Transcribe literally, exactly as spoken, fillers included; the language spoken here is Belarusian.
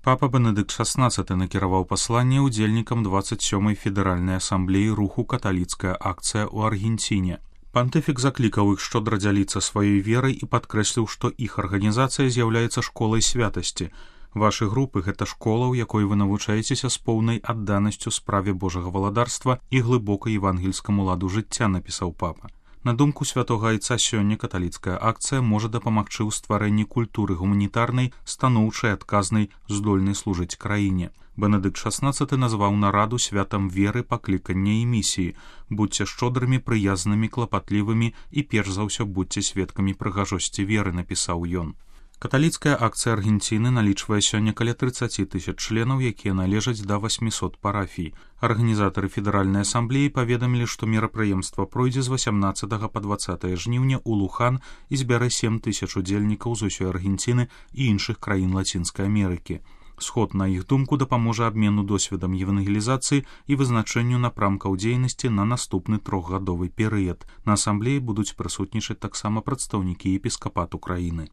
Папа Бенедыкт шаснаццаты накіраваў пасланне ўдзельнікам дваццаць сёмай федэральнай асамблеі руху «Каталіцкая акцыя» ў Аргенціне. Пантыфік заклікаў іх шчодра дзяліцца сваёй верай і падкрэсліў, што іх арганізацыя з'яўляецца школай святасці. Вашы групы — гэта школа, у якой вы навучаецеся з поўнай адданасцю справе Божага валадарства і глыбока евангельскаму ладу жыцця, напісаў папа. На думку святога айца, сёння каталіцкая акцыя можа дапамагчы ў стварэнні культуры гуманітарнай, станоўчай, адказнай, здольнай служыць краіне. Бенедыкт шаснаццаты назваў нараду святам веры, паклікання і місіі. Будзьце шчодрымі, прыязнымі, клапатлівымі і перш за ўсё будзьце сведкамі прыгажосці веры, напісаў ён. Каталіцкая акцыя Аргенціны налічвае сёння каля трыццаць тысяч членаў, якія належаць да васьмісот парафій. Арганізатары федэральнай асамблеі паведамілі, што мерапрыемства пройдзе з васямнаццатага па дваццатае жніўня ў Лухан і збярэ сем тысяч удзельнікаў з усёй Аргенціны і іншых краін Лацінскай Амерыкі. Сход, на іх думку, дапаможа абмену досведам евангелізацыі і вызначэнню напрамкаў дзейнасці на наступны трохгадовы перыяд. На асамблеі будуць прысутнічаць таксама прадстаўнікі епіскапату краіны.